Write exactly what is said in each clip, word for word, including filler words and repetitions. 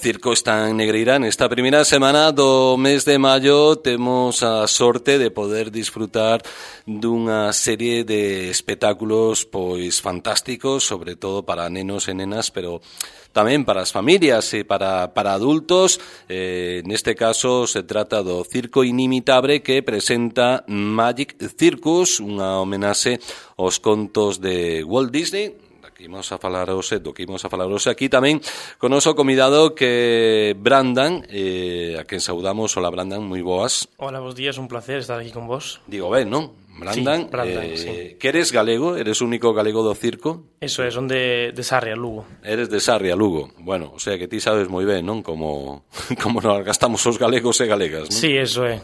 circo está en Negreira. Nesta primeira semana do mes de maio temos a sorte de poder disfrutar dunha serie de espectáculos pois fantásticos, sobre todo para nenos e nenas, pero tamén para as familias e para, para adultos. Eh, neste caso se trata do Circo Inimitable que presenta Magic Circus, unha homenaxe aos contos de Walt Disney. Imos a falar hoxe, do que imos a falar hoxe aquí tamén con o noso convidado que Brandan, eh, a quen saudamos. Hola Brandan, moi boas. Hola, bos días, un placer estar aquí con vos. Digo ben, non? Brandan, sí, Brandan eh, sí. Que eres galego, eres o único galego do circo. Eso é, son de, de Sarria, Lugo. Eres de Sarria, Lugo. Bueno, o sea que ti sabes moi ben, non? Como, como nos gastamos os galegos e galegas, non? Sí, eso é.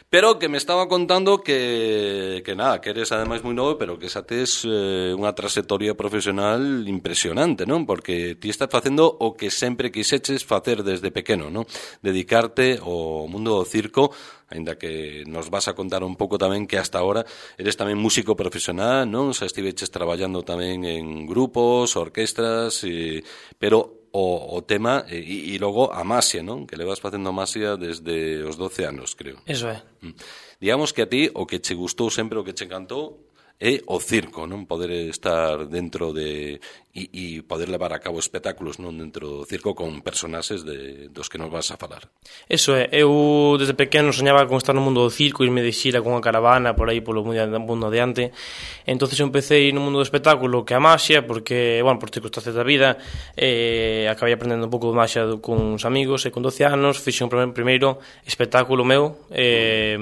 Pero que me estaba contando que, que nada, que eres ademais moi novo, pero que xa tes eh, unha trayectoria profesional impresionante, non? Porque ti estás facendo o que sempre quixeches facer desde pequeno, non? Dedicarte ao mundo do circo, aínda que nos vas a contar un pouco tamén que hasta ahora eres tamén músico profesional, non? Xa estiveches traballando tamén en grupos, orquestras, e, pero o, o tema e, e logo a Masia, non? Que le vas facendo a Masia desde os doce anos, creo. Eso é. Digamos que a ti o que che gustou sempre, o que che encantou é o circo, non? Poder estar dentro de e, e poder levar a cabo espectáculos non dentro do circo con personaxes de, dos que nos vas a falar. Eso é, eu desde pequeno soñaba con estar no mundo do circo, irme de xira con unha caravana por aí polo mundo adiante. Entonces eu empecé no mundo do espectáculo que a maxia, porque, bueno, por circunstancias da vida, eh, acabei aprendendo un pouco de maxia con uns amigos, e con doce anos fixe un primeiro espectáculo meu, eh,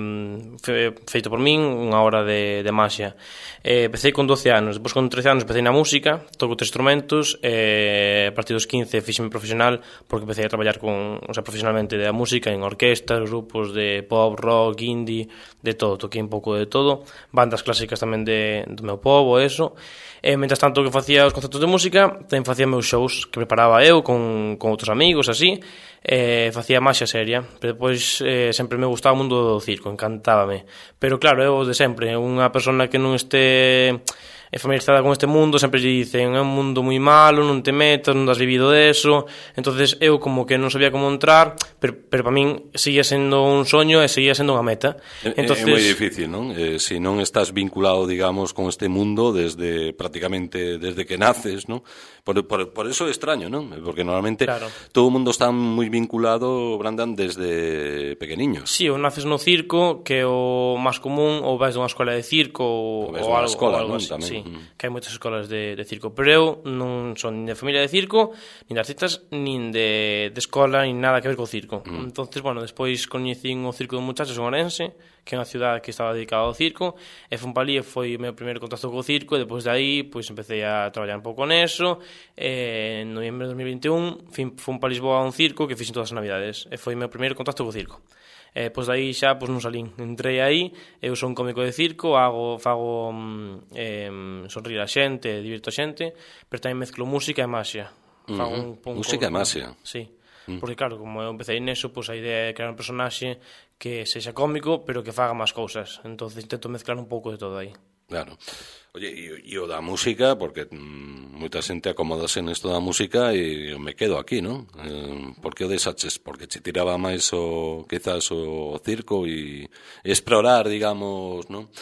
fe, feito por min, unha hora de, de maxia. Eh, empecé con doce anos, depois con trece anos empecé na música, toco tres instrumentos, e a partir dos quince fixeme profesional porque empecé a traballar con, o sea, profesionalmente da música en orquestas, grupos de pop, rock, indie, de todo, toquei un pouco de todo, bandas clásicas tamén de, do meu povo, eso. E mentras tanto que facía os concertos de música, tamén facía meus shows que preparaba eu con, con outros amigos, así, e facía maxia seria, pero depois eh, sempre me gustaba o mundo do circo, encantábame. Pero claro, eu de sempre, unha persona que non este familiarizada con este mundo, sempre lle dicen é un mundo moi malo, non te metas, non has vivido deso. Entonces eu como que non sabía como entrar, pero, pero para min seguía sendo un soño e seguía sendo unha meta. Entonces, é moi difícil, non? Eh, se non estás vinculado, digamos, con este mundo desde prácticamente desde que naces, non? Por, por, por eso é extraño, non? Porque normalmente claro, todo o mundo está moi vinculado, Brandan, desde pequeniños. Sí, ou naces no circo, que é o máis común, ou vais dunha escola de circo ou, ou, ou algo, escola, ou algo non? así, Tamén. Sí, mm. Que hai moitas escolas de, de circo, pero eu non son nin de familia de circo, nin de artistas, nin de, de escola, nin nada que ver co circo. Mm. Entonces, bueno, despois coñecín o Circo dos Muchachos en Orense, que é unha cidade que estaba dedicada ao circo, e fun pa ali e foi o meu primeiro contacto co circo, e depois de aí, pois, empecé a traballar un pouco neso, e en noviembre de dos mil vinte e un fun pa Lisboa a un circo que fixen todas as navidades, e foi o meu primeiro contacto co circo. E pois daí xa pois non salín, entrei aí, eu son cómico de circo, hago, fago eh, sonrir a xente, divirto a xente, pero tamén mezclo música e maxia. Fago uh-huh. un, un música e maxia. Sí. Porque claro, como eu empecé neso, pois a idea é crear un personaxe que sexa cómico, pero que faga máis cousas. Entonces intento mezclar un pouco de todo aí. Claro. Oye, e o da música, porque mm, moita xente acomodase nesto da música e me quedo aquí, non? Eh, por que o desaches? Porque che tiraba máis o, quizás o circo e explorar, digamos, non?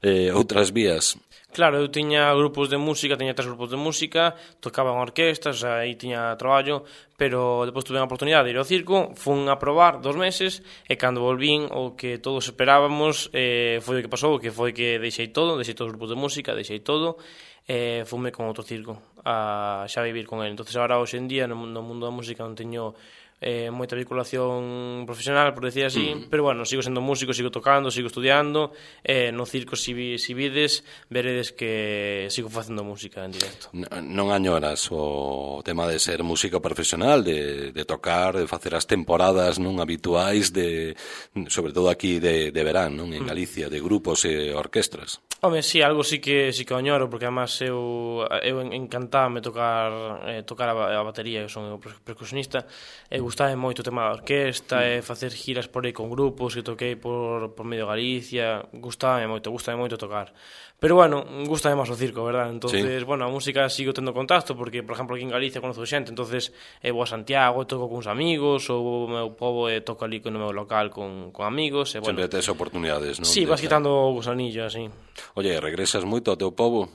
Eh, outras vías. Claro, eu tiña grupos de música, tiña tres grupos de música, tocaba en orquestas, aí tiña traballo, pero depois tuve a oportunidade de ir ao circo, fun a probar dos meses, e cando volvín, o que todos esperábamos, eh, foi o que pasou, que foi que deixei todo, deixei todos os grupos de música, deixei todo, e fume con outro circo, a xa vivir con ele. Entonces, agora, hoxe en día, no mundo da música non teño eh, moita vinculación profesional, por decir así, mm. pero bueno, sigo sendo músico, sigo tocando, sigo estudiando, eh, no circo si, si vides, veredes que sigo facendo música en directo. Non añoras o tema de ser músico profesional, de, de tocar, de facer as temporadas non habituais, de, sobre todo aquí de, de verán, non? En Galicia, de grupos e orquestras? Home, sí, algo sí que sí que añoro, porque además eu, eu encantaba tocar eh, tocar a, a batería, eu son percusionista, e gustaba moito o tema da orquesta, e facer giras por aí con grupos, que toquei por, por medio Galicia, gustaba moito, gustaba moito tocar. Pero bueno, gusta máis o circo, verdad? Entonces, sí. Bueno, a música sigo tendo contacto, porque, por exemplo, aquí en Galicia conozo xente, entonces eh, vou a Santiago, toco con uns amigos, ou o meu povo e toco ali no meu local con, con amigos. E, bueno, sempre tes oportunidades, non? Sí, vas quitando o gusanillo, así. Oye, regresas moito ao teu povo?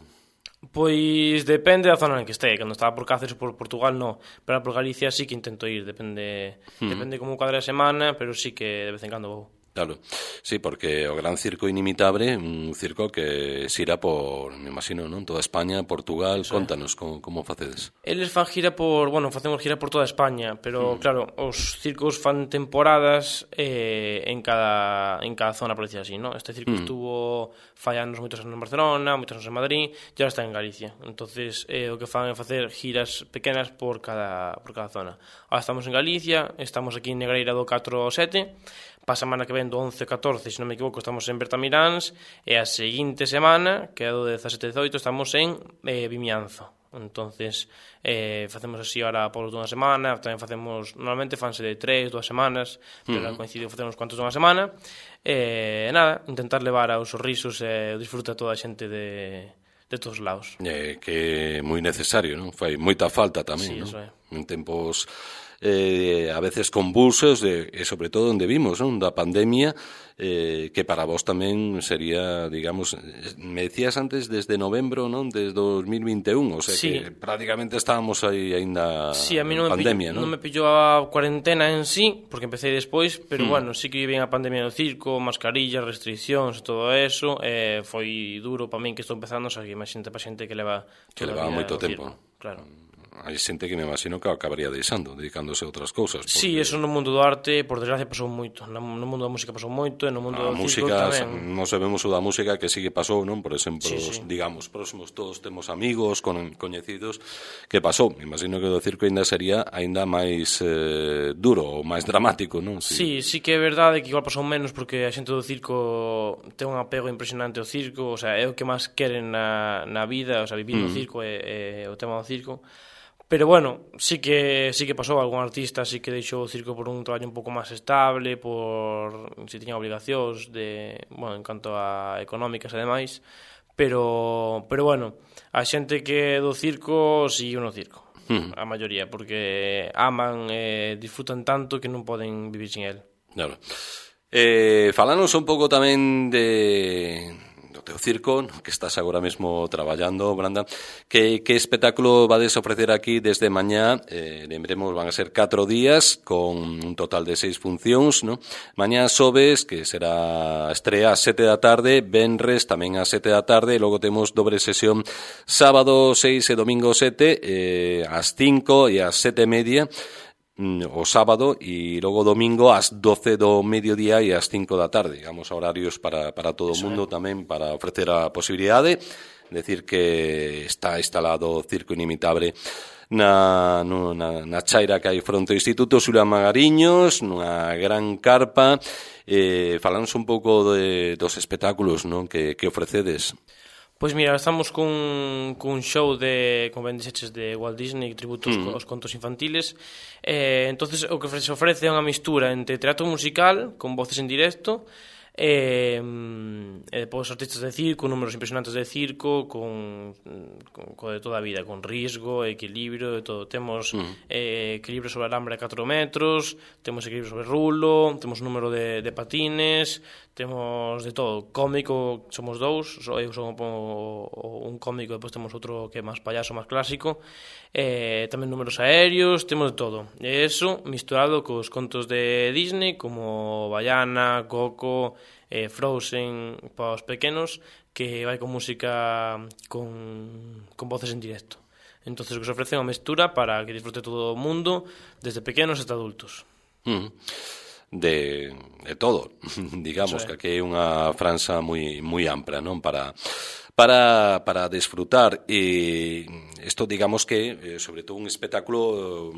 Pois depende da zona en que este. Cando estaba por Cáceres, por Portugal, no. Pero por Galicia sí que intento ir, depende hmm. depende como cada semana, pero sí que de vez en cando vou. Claro, sí, porque o Gran Circo Inimitable, un circo que xira por, me imagino, non? Toda España, Portugal, sí. Contanos como, como facedes. Eles fan gira por, bueno, facemos gira por toda España, pero mm. claro, os circos fan temporadas eh, en cada en cada zona, por decir así, ¿no? Este circo mm. estuvo fai anos moitos anos en Barcelona, moitos anos en Madrid, e ahora está en Galicia. Entonces, eh, o que fan é facer giras pequenas por cada por cada zona. Ahora estamos en Galicia, estamos aquí en Negreira do catro ao sete, pa semana que ven do once ao catorce, se non me equivoco, estamos en Bertamiráns, e a seguinte semana, que é do dezasete ao dezaoito, estamos en eh, Vimianzo. Entonces, eh, facemos así ahora por dunha semana, tamén facemos, normalmente fanse de tres, dúas semanas, pero uh-huh. coincidiu facemos cuantos dunha semana, e eh, nada, intentar levar aos sorrisos e eh, disfruta toda a xente de, de todos os lados. Eh, que é moi necesario, non? Fai moita falta tamén, sí, non? Eso é. En tempos eh, a veces convulsos de, e sobre todo onde vimos, non? Da pandemia, eh, que para vos tamén sería, digamos, me decías antes desde novembro, non? Desde dos mil vinte e un, o sea sí. que prácticamente estábamos aí aínda sí, a mí non en pandemia, non? non? Non me pillou a cuarentena en sí, porque empecé despois, pero mm. bueno, sí que viví a pandemia no circo, mascarillas, restriccións, todo eso, eh, foi duro para min que estou empezando, o sea, que imagínate para xente que leva que leva moito tempo. Circo, claro. Hai xente que me imagino que acabaría deixando, dedicándose a outras cousas. Porque... Sí, eso no mundo do arte, por desgracia, pasou moito. No mundo da música pasou moito, e no mundo a do música, circo tamén. Non sabemos o da música que sí que pasou, non? Por exemplo, sí, sí. digamos, próximos todos temos amigos, con, coñecidos, que pasou. Me imagino que o do circo ainda sería ainda máis eh, duro, ou máis dramático, non? Sí. sí, sí que é verdade que igual pasou menos, porque a xente do circo ten un apego impresionante ao circo, o sea, é o que máis queren na, na vida, o sea, vivir no mm. circo é, é o tema do circo. Pero bueno, sí que sí que pasou, algún artista sí que deixou o circo por un traballo un pouco máis estable, por si tiña obligacións de, bueno, en canto a económicas e demais, pero pero bueno, a xente que é do circo sigue no circo, mm. a maioría, porque aman e disfrutan tanto que non poden vivir sin el. Claro. Eh, falanos un pouco tamén de do teu circo, no que estás agora mesmo traballando, Branda. Que, que espectáculo vades ofrecer aquí desde mañá? Eh, lembremos, van a ser catro días con un total de seis funcións, no? Mañá xoves, que será estrea ás sete da tarde, venres tamén ás sete da tarde, e logo temos dobre sesión sábado seis e domingo sete, eh, ás cinco e ás sete e media, o sábado, e logo domingo ás doce do mediodía e ás cinco da tarde, digamos, horarios para, para todo o mundo, tamén para ofrecer a posibilidade, decir que está instalado o Circo Inimitable na, no, na, na chaira que hai fronte ao Instituto Xulia Magariños, nunha gran carpa. Eh, falamos un pouco de, dos espectáculos, non, que, que ofrecedes. Pois mira, estamos cun, cun show de, como ben dixeches, de Walt Disney, tributos mm. aos contos infantiles. Eh, entonces o que se ofrece é unha mistura entre teatro musical, con voces en directo, e, e depois artistas de circo, números impresionantes de circo, con, con, con de toda a vida, con risgo, equilibrio, de todo. Temos mm. eh, equilibrio sobre alambre a catro metros, temos equilibrio sobre rulo, temos número de, de patines, temos de todo. Cómico, somos dous, eu son un cómico, depois temos outro que é máis payaso, máis clásico, eh, tamén números aéreos, temos de todo. E eso misturado cos contos de Disney, como Baiana, Coco, eh, Frozen, para os pequenos, que vai con música con, con voces en directo. Entonces, que se ofrece unha mestura para que disfrute todo o mundo, desde pequenos hasta adultos. Mm. De, de todo, digamos, que aquí é unha franxa moi moi ampla, non, para para para desfrutar. E isto, digamos que, sobre todo, un espectáculo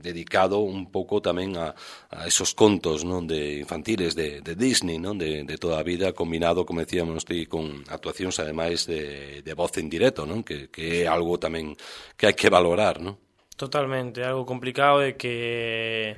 dedicado un pouco tamén a, a esos contos, non, de infantiles de, de Disney, non, de, de toda a vida, combinado, como decíamos, ti, con actuacións ademais de, de voz en directo, non, que, que é algo tamén que hai que valorar, non? Totalmente, algo complicado e que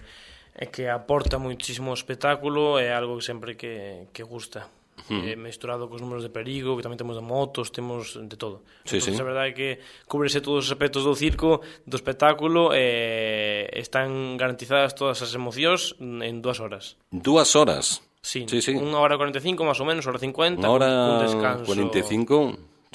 é que aporta muitísimo espectáculo, é algo que sempre que, que gusta. Uh-huh. Eh, mesturado cos números de perigo, que tamén temos de motos, temos de todo. Sí, entón, sí. A verdade é que cúbrese todos os aspectos do circo, do espectáculo, e eh, están garantizadas todas as emocións en dúas horas. Dúas horas? Sí, sí, sí. unha hora cuarenta e cinco, máis ou menos, hora cincuenta, unha hora cun descanso... cuarenta e cinco,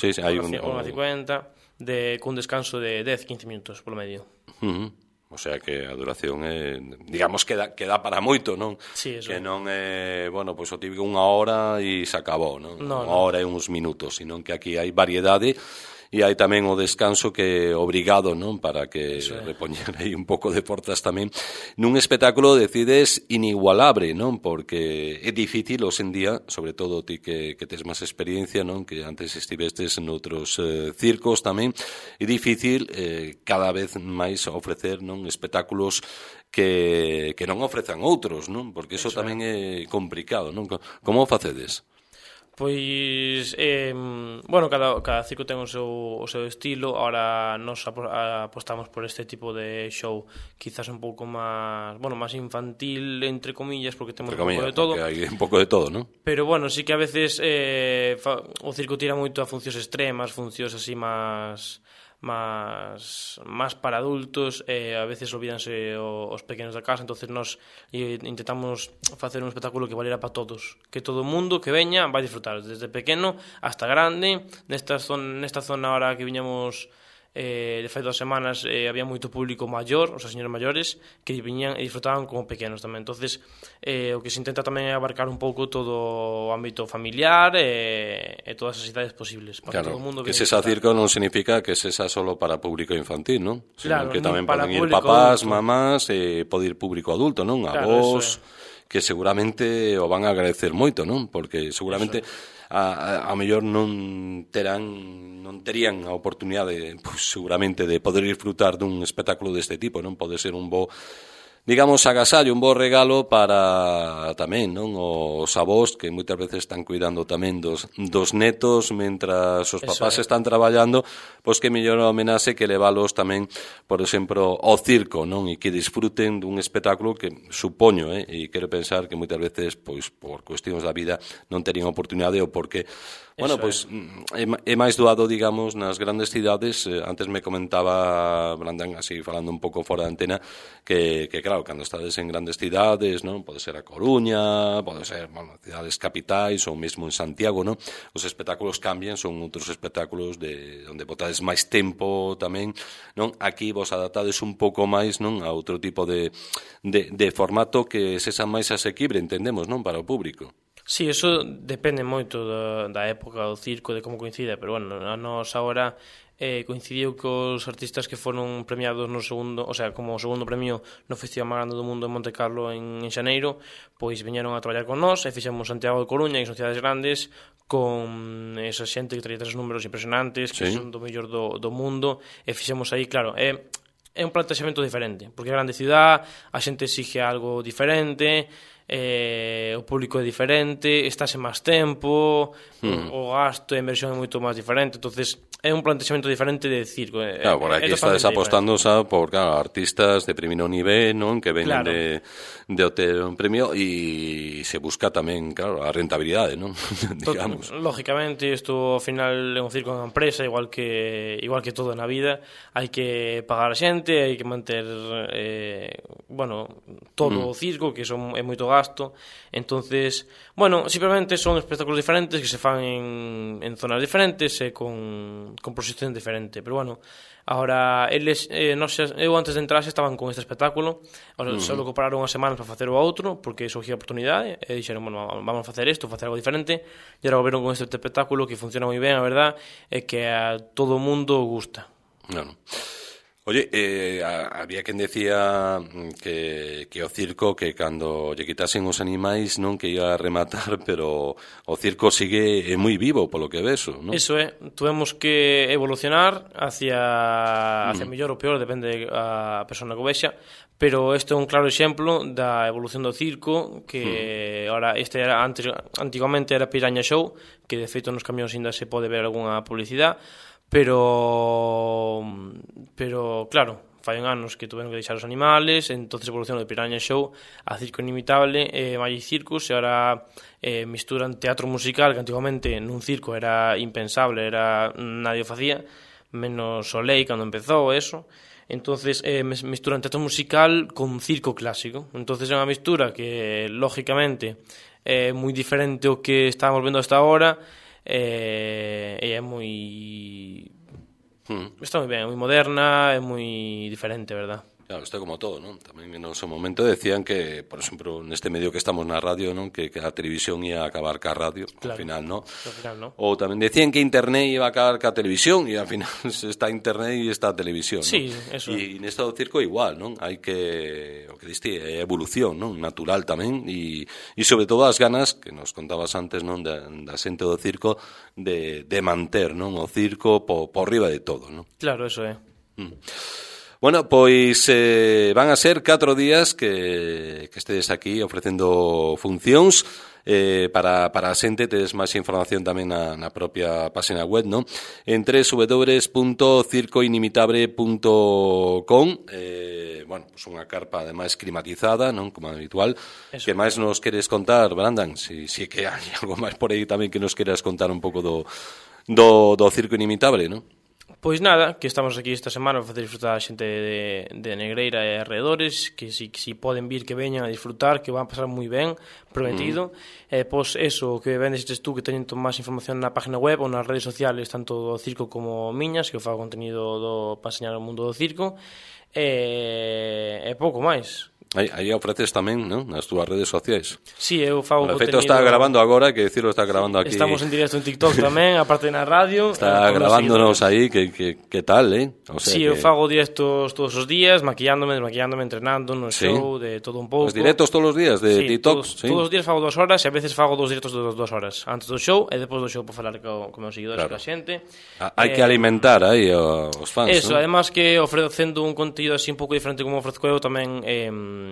sí, sí, hai un... Unha cincuenta, de, cun descanso de dez a quince minutos, polo medio. Uh-huh. O sea que a duración é, digamos que dá, que dá para moito, non? Sí, eso. Que non é, bueno, pois o típico unha hora e se acabou, non? No, unha no. hora e uns minutos, sino que aquí hai variedade e hai tamén o descanso que é obrigado, non? Para que é. repoñer aí un pouco de forzas tamén. Nun espectáculo decides inigualable, non? Porque é difícil hoxe en día, sobre todo ti que, que tes máis experiencia, non? Que antes estivestes noutros eh, circos tamén, é difícil eh, cada vez máis ofrecer, non? Espectáculos que, que non ofrezan outros, non? Porque iso tamén é complicado, non? Como o facedes? Pois, eh, bueno, cada, cada circo ten o seu, o seu estilo. Ahora nos apostamos por este tipo de show quizás un pouco máis, bueno, máis infantil, entre comillas, porque temos entre comillas, un pouco de todo. Porque hai un pouco de todo, non? Pero, bueno, sí que a veces eh, fa, o circo tira moito a funcións extremas, funcións así máis... máis máis para adultos, e a veces olvídanse os pequenos da casa, entonces nós intentamos facer un espectáculo que valera para todos, que todo o mundo que veña vai disfrutar, desde pequeno hasta grande. Nesta zona, nesta zona ahora que viñamos eh, de fai dos semanas eh, había moito público maior, os señores maiores, que viñan e disfrutaban como pequenos tamén. Entonces eh, o que se intenta tamén é abarcar un pouco todo o ámbito familiar e, e todas as idades posibles para claro, que todo o mundo que se esa circo non significa que se esa solo para público infantil, non? Sino claro, que tamén poden ir papás, adulto. Mamás, e pode ir público adulto, non? A claro, vos, que seguramente o van a agradecer moito, non? Porque seguramente a, a, a mellor non terán non terían a oportunidade, pues, seguramente, de poder disfrutar dun espectáculo deste tipo, non? Pode ser un bo, digamos, agasallo, un bo regalo para tamén, non? Os avós que moitas veces están cuidando tamén dos, dos netos mentras os papás están traballando, pois que mellor homenaxe que leválos tamén, por exemplo, ao circo, non? E que disfruten dun espectáculo que supoño, eh? E quero pensar que moitas veces, pois, por cuestións da vida non terían oportunidade ou porque bueno, pois é, é máis doado, digamos, nas grandes cidades. Eh, antes me comentaba Brandán, así falando un pouco fora da antena, que, que claro, cando estades en grandes cidades, non? Pode ser a Coruña, pode ser, bueno, cidades capitais ou mesmo en Santiago, non? Os espectáculos cambian, son outros espectáculos de onde botades máis tempo tamén, non? Aquí vos adaptades un pouco máis, non? A outro tipo de, de, de formato que sexa máis asequible, entendemos, non? Para o público. Sí, eso depende moito da, da época do circo, de como coincide, pero bueno, a nos agora eh, coincidiu que os artistas que foron premiados no segundo, o sea, como segundo premio no Festival máis grande do mundo en Monte Carlo en, en xaneiro, pois viñeron a traballar con nós e fixemos Santiago de Coruña, que son cidades grandes, con esa xente que traía tres números impresionantes, que sí, son do mellor do, do mundo, e fixemos aí, claro, é... Eh, é un plantexamento diferente, porque é grande cidade, a xente exige algo diferente, eh, o público é diferente, estáse máis tempo, hmm. o, o gasto e a inversión é moito máis diferente, entonces é un plantexamento diferente de circo. Claro, por aquí estades apostando xa por, claro, artistas de primeiro nivel, non? Que veñen claro. de, de obter un premio e se busca tamén, claro, a rentabilidade, non? Digamos. Lógicamente, isto ao final é un circo en empresa, igual que igual que todo na vida, hai que pagar a xente, hai que manter eh, bueno, todo mm. o circo, que son, é moito gasto. Entonces, bueno, simplemente son espectáculos diferentes que se fan en, en zonas diferentes e con, con proxección diferente, pero bueno, ahora eles, eh, non sei, eu antes de entrar estaban con este espectáculo, ahora mm. só pararon unhas semanas para facer o outro, porque surgiu a oportunidade e dixeron, bueno, vamos a facer isto, facer algo diferente, e agora volveron con este espectáculo que funciona moi ben, a verdad, e que a todo o mundo gusta. Claro. Oye, eh, había quen decía que, que o circo, que cando lle quitasen os animais non que iba a rematar, pero o circo sigue moi vivo, polo que veso, non? Eso é, tuvemos que evolucionar hacia, hacia mm. mellor ou peor, depende a persona que o vexa, pero este é un claro exemplo da evolución do circo, que mm. ahora este era antes, antigamente era Piraña Show, que de feito nos camións ainda se pode ver algunha publicidade, pero pero claro, fai anos que tuveron que deixar os animales, entonces evolucionou de Piraña Show a Circo Inimitable e eh, Magic Circus, e ahora eh, misturan teatro musical, que antigamente nun circo era impensable, era nadie o facía, menos Soleil cando empezou eso. Entonces eh, misturan teatro musical con circo clásico, entonces é unha mistura que lógicamente é moi diferente ao que estábamos vendo hasta ahora. E é moi mm. está moi ben, é moi moderna, é moi diferente, verdad? Claro, isto é como todo, non? Tamén no seu momento decían que, por exemplo, neste medio que estamos na radio, non? Que, que a televisión ia a acabar ca radio, claro, ao final, non? Ao final, non? Ou tamén decían que internet iba a acabar ca televisión, e ao final está internet e está a televisión, sí, non? Eso. E neste do circo igual, non? Hai que, o que diste, é evolución, non? Natural tamén, e, e sobre todo as ganas, que nos contabas antes, non? Da, da xente do circo, de, de manter, non? O circo por, por riba de todo, non? Claro, eso é. Mm. Bueno, pois eh, van a ser catro días que, que estedes aquí ofrecendo funcións. Eh, para, para a xente tedes máis información tamén na, na propia página web, non? En doble u doble u punto circo inimitable punto com. eh, bueno, pues unha carpa ademais climatizada, non? Como habitual. Eso. Que máis nos queres contar, Brandan? Si, si que hai algo máis por aí tamén que nos queras contar un pouco do, do, do Circo Inimitable, non? Pois nada, que estamos aquí esta semana para facer disfrutar a xente de, de Negreira e arredores, que si, si poden vir, que veñan a disfrutar, que van a pasar moi ben, prometido. Mm. E pois eso, que vendes tú, que teñen máis información na página web ou nas redes sociales, tanto do circo como miñas, que eu fago contenido do, para enseñar o mundo do circo, e, e pouco máis. Aí, aí ofreces tamén, non? Nas túas redes sociais. Sí, eu fago bueno, contenido... De feito, está grabando agora, que decirlo, está grabando aquí. Estamos en directo en TikTok tamén, aparte na radio. Está grabándonos aí, que, que, que tal, eh? O sea, sí, que... eu fago directos todos os días, maquillándome, desmaquillándome, entrenando no sí. show, de todo un pouco. Os directos todos os días de sí, TikTok? Todos, sí, todos os días fago dos horas e a veces fago dos directos de dos horas. Antes do show e depois do show para falar co, con meus seguidores, claro, con a xente. Ah, hai eh, que alimentar aí os fans, eso, ¿no? Además que ofrecendo un contido así un pouco diferente como ofrezco eu tamén... Eh,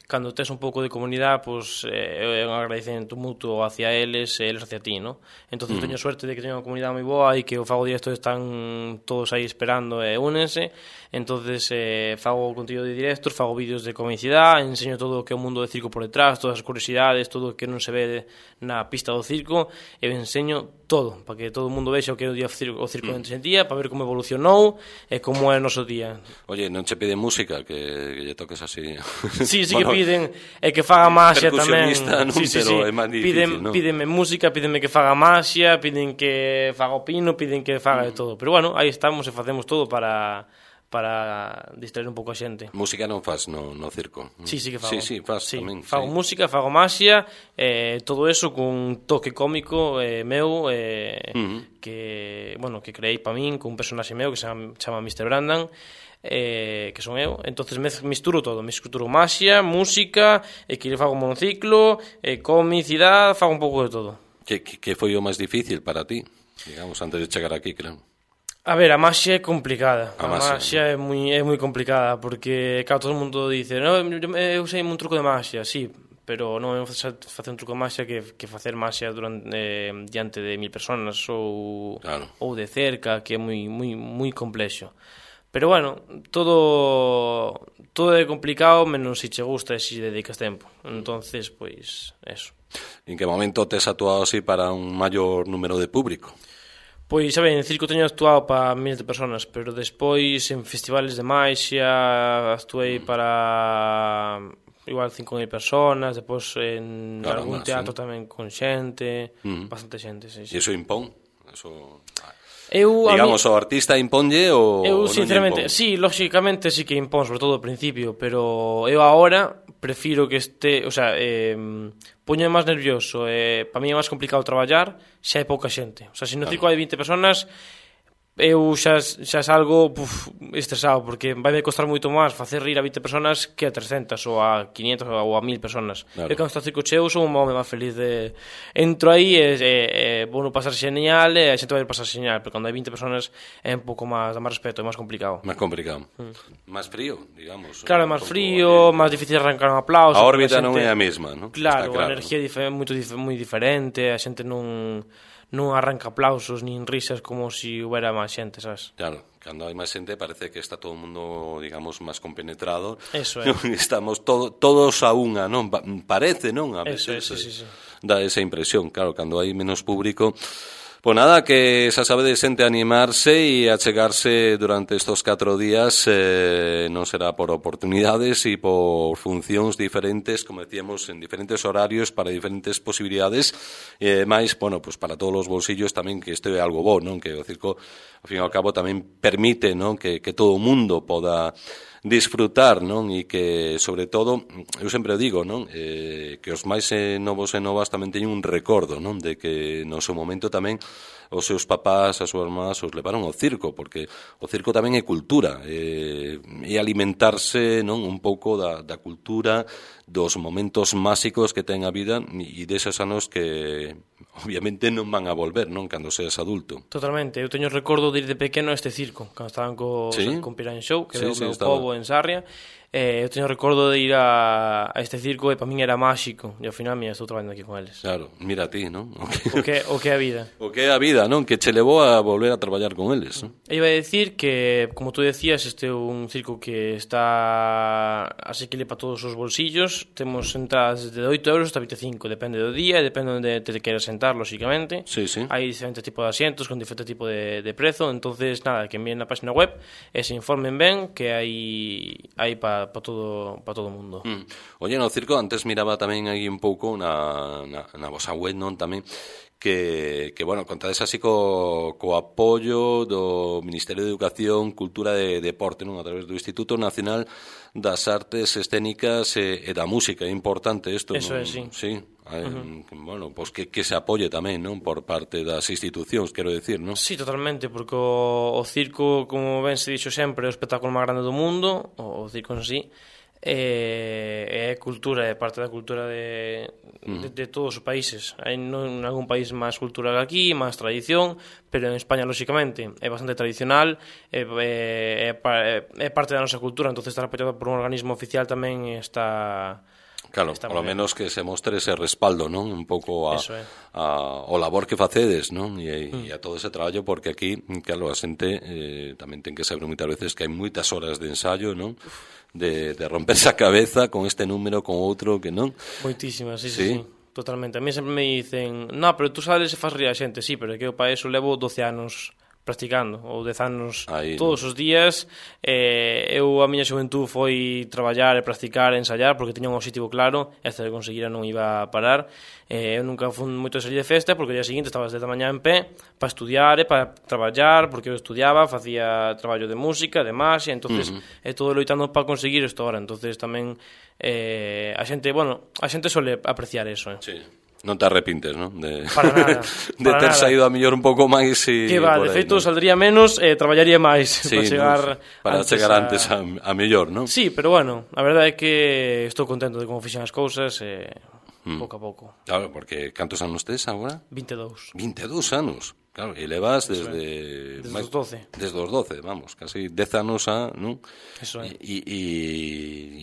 cando tes un pouco de comunidade, pois é un agradecemento mutuo hacia eles e eles hacia ti, ¿no? Entón, mm. teño suerte de que teño unha comunidade moi boa e que o fago directo están todos aí esperando e únense. Entonces, eh, fago contido de directos, fago vídeos de comicidade, enseño todo o que é o mundo do circo por detrás, todas as curiosidades, todo o que non se ve na pista do circo, e enseño todo, para que todo o mundo vexa o que é o, día, o circo mm. de día, para ver como evolucionou e como é o noso día. Oye, non che piden música, que, que lle toques así? Sí, sí, bueno, que piden e que faga maxia tamén. Non, sí, sí, pero sí. é máis difícil, piden, non? Pídenme música, pídenme que faga maxia, piden que faga o pino, piden que faga de todo. Pero bueno, aí estamos e facemos todo para para distraer un pouco a xente. Música non faz no, no circo? Sí, sí que fago. Sí, sí, faz sí, tamén. Fago sí. música, fago maxia, eh, todo eso cun toque cómico eh, meu, eh, uh-huh. que, bueno, que creei pa min, cun personaxe meu que se chama, chama mister Brandan, eh, que son eu. Entonces misturo todo, misturo maxia, música, e que fago monociclo, eh, comicidade, fago un pouco de todo. Que, que, que foi o máis difícil para ti, digamos, antes de chegar aquí, creo? A ver, a maxia é complicada. A, a maxia, ¿no? é moi é moi complicada porque, claro, todo o mundo dice, no, eu sei un truco de maxia, sí, pero non é facer un truco de maxia que, que facer maxia durante, eh, diante de mil personas ou, claro. ou de cerca, que é moi moi moi complexo. Pero bueno, todo todo é complicado, menos se che gusta e se dedicas tempo. Entonces, pois, eso. En que momento tes actuado así para un maior número de público? Pois, a ver, en circo teño actuado para miles de personas, pero despois en festivales de maxia actuei para igual cinco mil personas, despois en claro, algún teatro sí. tamén con xente, uh-huh. bastante xente, sí, sí. E iso impón? Eso... Eu, digamos, mí, o artista imponlle ou eu, non sinceramente, impón? sí, lógicamente sí que impón, sobre todo ao principio, pero eu agora prefiro que este, o sea, eh, poño máis nervioso, eh, para mí é máis complicado traballar se hai pouca xente. O sea, se no circo hai vinte personas, eu xa, xa salgo puf, estresado, porque vai me costar moito máis facer rir a vinte personas que a trescentas ou a quinientas ou a mil personas. Claro. E cando está circo cheo son un home máis feliz de... Entro aí e, e, e vou no pasar xeñal e a xente vai pasar xeñal, pero cando hai vinte personas é un pouco máis, dá máis respeto, é máis complicado. Máis complicado. Mm. Máis frío, digamos. Claro, é máis frío, máis difícil arrancar un aplauso. A órbita non é a mesma, non? Claro, claro, a enerxía é moito moi diferente, a xente non... non arranca aplausos nin risas como se si houbera máis xente, sabes? Claro, cando hai máis xente parece que está todo o mundo, digamos, máis compenetrado. Eso é. Estamos todo, todos a unha, non? Parece, non? A veces, eso, sí, sí, sí. Dá esa impresión, claro, cando hai menos público. Pois nada, que xa sabe de xente animarse e achegarse durante estos catro días, eh, non será por oportunidades e por funcións diferentes, como decíamos, en diferentes horarios, para diferentes posibilidades, e eh, máis, bueno, pues para todos os bolsillos tamén, que isto é algo bo, non? Que o circo, ao fin e ao cabo, tamén permite, non? Que, que todo o mundo poda disfrutar, non? E que, sobre todo, eu sempre digo, non? Eh, que os máis eh, novos e novas tamén teñen un recordo, non? De que no seu momento tamén os seus papás, as súas irmás os levaron ao circo, porque o circo tamén é cultura, eh, e alimentarse, non? Un pouco da, da cultura, dos momentos máxicos que ten a vida e deses anos que obviamente non van a volver, non? Cando seas adulto. Totalmente, eu teño recordo de ir de pequeno a este circo, cando estaban co, ¿sí? con Piran Show, que sí, é o sí, meu estaba. Pobo en Sarria. Eh, eu teño recordo de ir a, a este circo e para min era máxico, e ao final mira, estou traballando aquí con eles. Claro, mira a ti, non? O que, o que, o que é a vida. O que é a vida, non? Que che levou a volver a traballar con eles, non? E iba a decir que, como tú decías, este é un circo que está asequible para todos os bolsillos. Temos entradas de oito euros hasta vinte e cinco, depende do día, depende onde te queras sentar, lógicamente. Sí, sí. Hai diferentes tipos de asientos con diferente tipo de, de prezo, entonces nada, que envíen na página web e se informen ben que hai hai para pa todo para todo o mundo. Mm. Oye, no circo, antes miraba tamén aí un pouco na, na, na vosa web, non, tamén, que, que bueno, contades así co, co apoio do Ministerio de Educación, Cultura e Deporte, non, a través do Instituto Nacional das Artes Escénicas e, e da Música. É importante isto, Eso non? É, sí. Sí. Uh-huh. Bueno, pues que, que se apoie tamén, non? Por parte das institucións, quero decir, non? Sí, totalmente, porque o, o circo, como ben se dixo sempre, é o espectáculo máis grande do mundo, o, o circo en sí, é, é cultura, é parte da cultura de, uh-huh. de, de todos os países. Hai non, en algún país máis cultura que aquí, máis tradición, pero en España, lógicamente, é bastante tradicional, é, é, é, é parte da nosa cultura, entonces estar apoiado por un organismo oficial tamén está... Claro, polo menos que se mostre ese respaldo, non? Un pouco a, é. a, o labor que facedes, non? E, mm. e a todo ese traballo, porque aquí, claro, a xente eh, tamén ten que saber moitas veces que hai moitas horas de ensayo, non? De, de romperse a cabeza con este número, con outro, que non? Moitísimas, sí, sí, sí, totalmente. A mí sempre me dicen, no, pero tú sabes se faz rir a xente, sí, pero é que eu para eso levo doce anos practicando, ou dez anos aí, todos os días. Eh, eu a miña xuventud foi traballar e practicar e ensayar porque tiña un objetivo claro e hasta que conseguira non iba a parar. Eh, eu nunca fui moito a salir de festa porque o día seguinte estaba desde a mañá en pé para estudiar e para traballar, porque eu estudiaba, facía traballo de música, de magia, entonces uh-huh. é todo loitando para conseguir isto ahora. Entonces tamén eh, a xente, bueno, a xente suele apreciar eso, eh. Sí. Non te arrepintes, non? De, para nada. de para ter nada. saído a mellor un pouco máis e... Que va, de feito, ¿no? Saldría menos e eh, traballaría máis sí, para chegar no, para antes chegar a... antes a, a mellor, non? Sí, pero bueno, a verdade é que estou contento de como fixen as cousas e eh, mm. pouco a pouco. Claro, porque cantos anos tes agora? vinte e dous. vinte e dous anos. Claro, e levas desde... Desde os doce. Desde os doce, vamos, casi dez anos a, non? Eso é. E, e,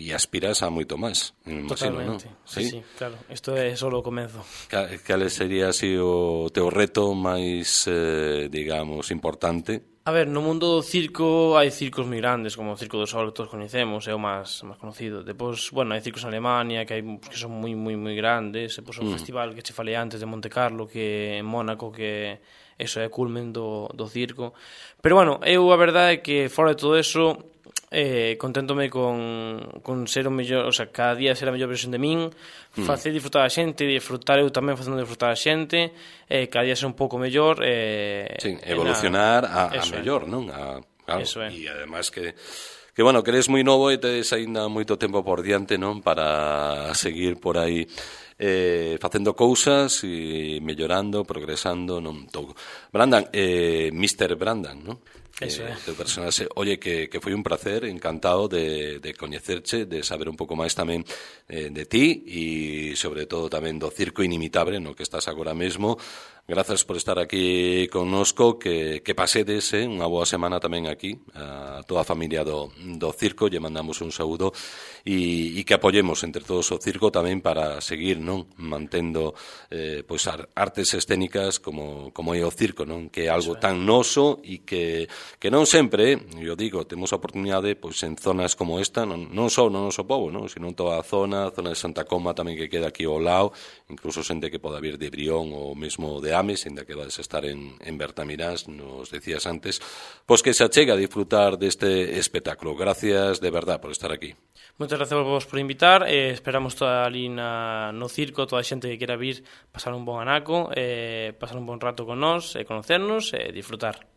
e aspiras a moito máis, me imagino, non? Sí, sí, sí, claro. Isto é só o comezo. Cal sería así o teu reto máis, eh, digamos, importante? A ver, no mundo do circo hai circos moi grandes, como o Circo do Sol que todos coñecemos, é o máis, máis conocido. Depois, bueno, hai circos en Alemania que hai que son moi moi moi grandes, depois un mm. festival que che falei antes de Monte Carlo, que en Mónaco, que eso é culmen do, do circo. Pero bueno, eu a verdade é que fora de todo eso eh, conténtome con, con ser o mellor, o sea, cada día ser a mellor versión de min, mm. facer disfrutar a xente, disfrutar eu tamén facendo disfrutar a xente, eh, cada día ser un pouco mellor, eh, sí, evolucionar a, a mellor, non? A, claro, eso é. E además que que bueno, que eres moi novo e tedes aínda moito tempo por diante, non, para seguir por aí eh, facendo cousas e mellorando, progresando, non todo. Brandan, eh, mister Brandan, non? Eso é. Eh, teu personaxe, oye, que, que foi un placer, encantado de, de coñecerche, de saber un pouco máis tamén eh, de ti e sobre todo tamén do circo inimitable no que estás agora mesmo. Grazas por estar aquí connosco, que, que pasedes eh, unha boa semana tamén aquí a toda a familia do, do circo, lle mandamos un saúdo e, e que apoyemos entre todos o circo tamén para seguir, non, mantendo eh, pois artes escénicas como, como é o circo, non, que é algo tan noso e que, que non sempre, eu digo, temos a oportunidade pois en zonas como esta, non, non só no noso povo, non, sino en toda a zona, a zona de Santa Coma tamén que queda aquí ao lado, incluso xente que poda vir de Brión ou mesmo de Ames, ainda que vades estar en, en Bertamirás, nos decías antes, pois que se achega a disfrutar deste espectáculo. Gracias de verdad por estar aquí. Moitas gracias vos por invitar, eh, esperamos toda ali na, no circo, toda a xente que quera vir, pasar un bon anaco, eh, pasar un bon rato con nós, eh, conocernos e eh, disfrutar.